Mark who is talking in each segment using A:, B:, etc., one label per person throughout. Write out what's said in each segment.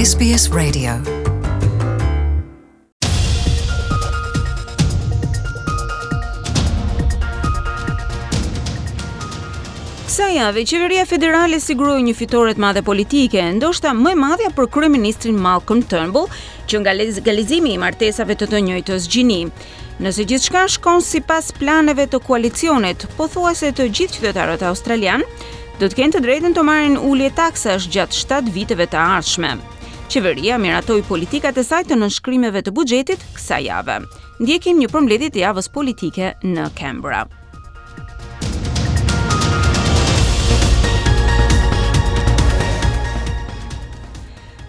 A: SBS Radio. Kësaj jave, qeveria federale siguroi një fitore të madhe politike, ndoshta më e madhja për kryeministrin Malcolm Turnbull, që nga legalizimi i martesave të të njëjtës gjini. Nëse gjithçka shkon sipas planeve të koalicionit, pothuajse të gjithë qytetarët australianë do të kenë të drejtën të marrin ulje taksash gjatë 7 viteve të ardhshme. Qeveria miratoi politikat e saj të nënshkrimeve të buxhetit kësaj jave. Ndjekim një përmbledhje të javës politike në Canberra.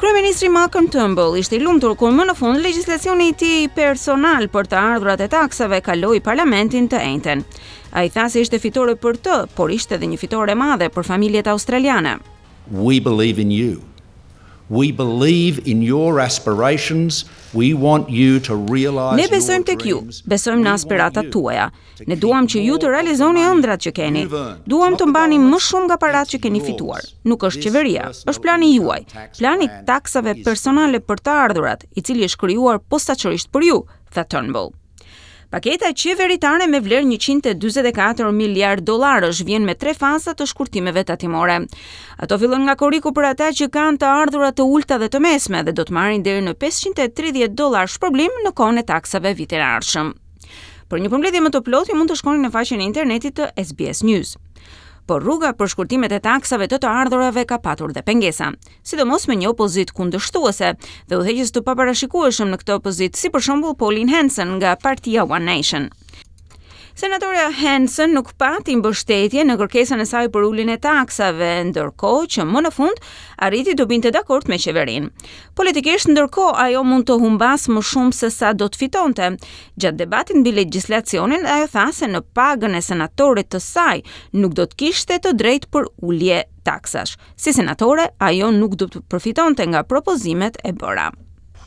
A: Kryeministri Malcolm Turnbull ishte i lumtur kur më në fund legjislacioni i tij personal për të ardhurat e taksave kaloi parlamentin të enjten. Ai tha se ishte fitore për të, por ishte edhe një fitore e madhe për familjet australiane.
B: We believe in you. We believe in your aspirations. We want you to realize
A: Ne besojmë tek ju, besojmë në aspiratat tuaja. Ne duam që ju të realizoni ëndrrat që keni. Duam të mbani më shumë nga paratë që keni fituar. Nuk është qeveria, është plani juaj. Plani i taksave personale për të ardhurat, i cili është krijuar posaçërisht për ju, tha Turnbull. Paketa qeveritare me vlerë 144 miliard dollarësh vjen me tre faza të shkurtimeve tatimore. Ato fillojnë nga korriku për ata që kanë të ardhura të ulëta dhe të mesme dhe do të marrin deri në 530 dollar shpërblim në kohën e taksave vitin e ardhshëm. Për një përmbledhje më të plotë, ju mund të shkoni në faqen e internetit të SBS News. Por rruga për shkurtimet e taksave të të ardhurave ka patur dhe pengesa. sidomos me një opozitë kundërshtuese dhe udhëheqës të paparashikueshëm në këtë opozitë, si për shembull Pauline Hanson nga partia One Nation. Senatorja Hanson nuk pati mbështetje në kërkesën e saj për uljen e taksave, ndërkohë që më në fund arriti të binte dakord me qeverinë. Politikisht, ndërkohë, ajo mund të humbasë më shumë se sa do të fitonte. Gjatë debatit mbi legjislacionin, ajo tha se në pagën e senatorit të saj nuk do të kishte të drejtë për ulje taksash. Si senatore, ajo nuk do të përfitonte nga propozimet e bëra.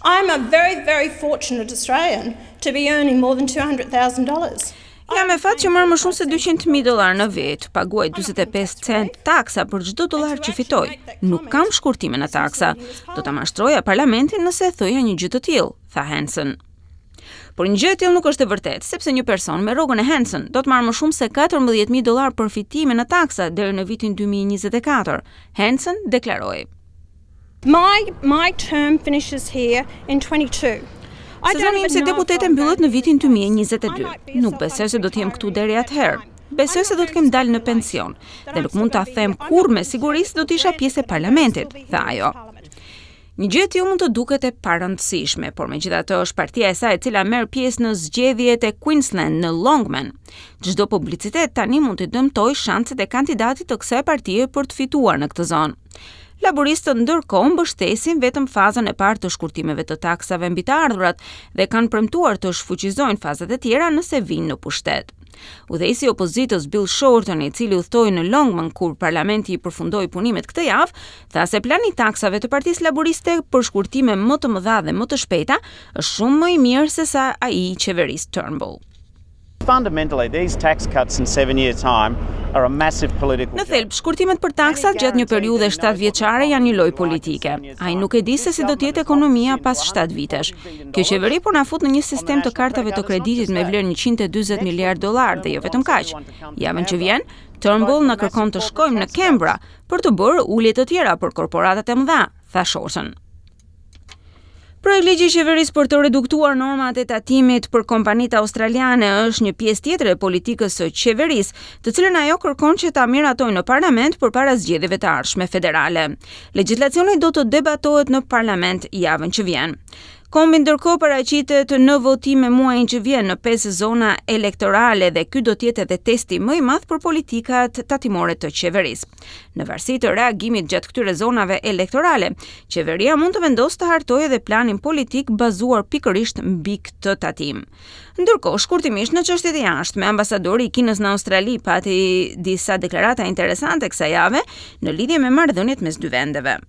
C: I'm a very very fortunate Australian to be earning more than $200,000.
A: Jam me fat që marr më shumë se 200.000 dollar në vit, paguaj 45 cent taksa për çdo dollar që fitoj. Nuk kam shkurtime në taksa. Do ta mashtroja parlamentin nëse thoja një gjë të tillë, tha Hanson. Por një gjë e tillë nuk është e vërtetë, sepse një person me rrogën e Hanson do të marrë më shumë se 14.000 dollar përfitime në taksa deri në vitin 2024, Hanson deklaroi.
C: My my term finishes here in 22.
A: Sezoni im si deputete mbyllet në vitin 2022. Nuk besoj se do të jem këtu deri atëherë. Besoj se do të kem dalë në pension dhe nuk mund ta them kurrë me siguri se do të isha pjesë e parlamentit, tha ajo. Një gjë e tillë mund të duket e parëndësishme, por megjithatë është partia e saj e cila merr pjesë në zgjedhjet e Queensland në Longman. Çdo publicitet tani mund të dëmtojë shanset e kandidatit të kësaj partie për të fituar në këtë zonë. Laburistët ndërkohë mbështesin vetëm fazën e parë të shkurtimeve të taksave mbi të ardhurat dhe kanë premtuar të shfuqizojnë fazat e tjera nëse vijnë në pushtet. Udhëheqësi i opozitës Bill Shorten, i cili udhëtoi në Longman kur parlamenti i përfundoi punimet këtë javë, tha se plani i taksave të Partisë Laburiste për shkurtime më të mëdha dhe më të shpejta është shumë më i mirë se sa ai i qeverisë Turnbull.
D: Fundamentally, these tax cuts in 7 year time are a massive political
A: Në thelb, shkurtimet për taksat gjatë një periudhe 7 vjeçare janë një lojë politike. Ai nuk e di se si do të jetë ekonomia pas 7 vitesh. Kjo qeveri po na fut në një sistem të kartave të kreditit me vlerë 140 miliard dollar dhe jo vetëm kaq. Javën që vjen, Turnbull na kërkon të shkojmë në Canberra për të bërë ulje të tjera për korporatat e mëdha, tha Shorten. Projektligji i qeverisë për të reduktuar normat e tatimit për kompanitë australiane është një pjesë tjetër e politikës së qeverisë, të cilën ajo kërkon që ta miratojë në parlament përpara zgjedhjeve të ardhshme federale. Legjislacioni do të debatohet në parlament javën që vjen. Kombi ndërkohë paraqitet në votime muajin që vjen në pesë zona elektorale dhe ky do të jetë edhe testi më i madh për politikat tatimore të qeverisë. Në varësi të reagimit gjatë këtyre zonave elektorale, qeveria mund të vendosë të hartojë edhe planin politik bazuar pikërisht mbi këtë tatim. Ndërkohë, shkurtimisht në çështjet e jashtme, ambasadori i Kinës në Australi pati disa deklarata interesante kësaj jave në lidhje me marrëdhëniet mes dy vendeve.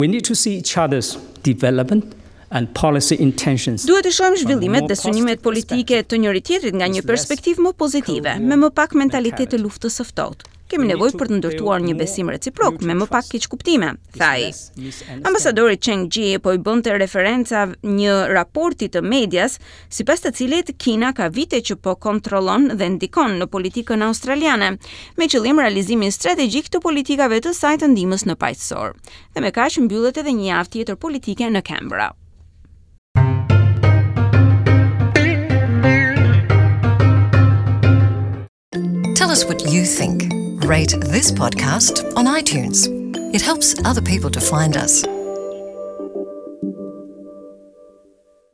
E: We need to see each other's development and policy intentions.
A: Duhet të shohim zhvillimet dhe synimet politike të njëri-tjetrit nga një perspektivë më pozitive, me më pak mentalitet të luftës së ftohtë. Kemi nevojë për të ndërtuar një besim reciprok me më pak keqkuptime, tha ai. Ambasadori Cheng Jie po i bënte referenca një raporti të medias, sipas të cilit Kina ka vite që po kontrollon dhe ndikon në politikën australiane, me qëllim realizimin strategjik të politikave të saj të ndihmës në paqësor. Dhe me kaq mbyllet edhe një javë tjetër politike në Canberra.
F: Tell us what you think. Rate this podcast on iTunes. It helps other people to find us.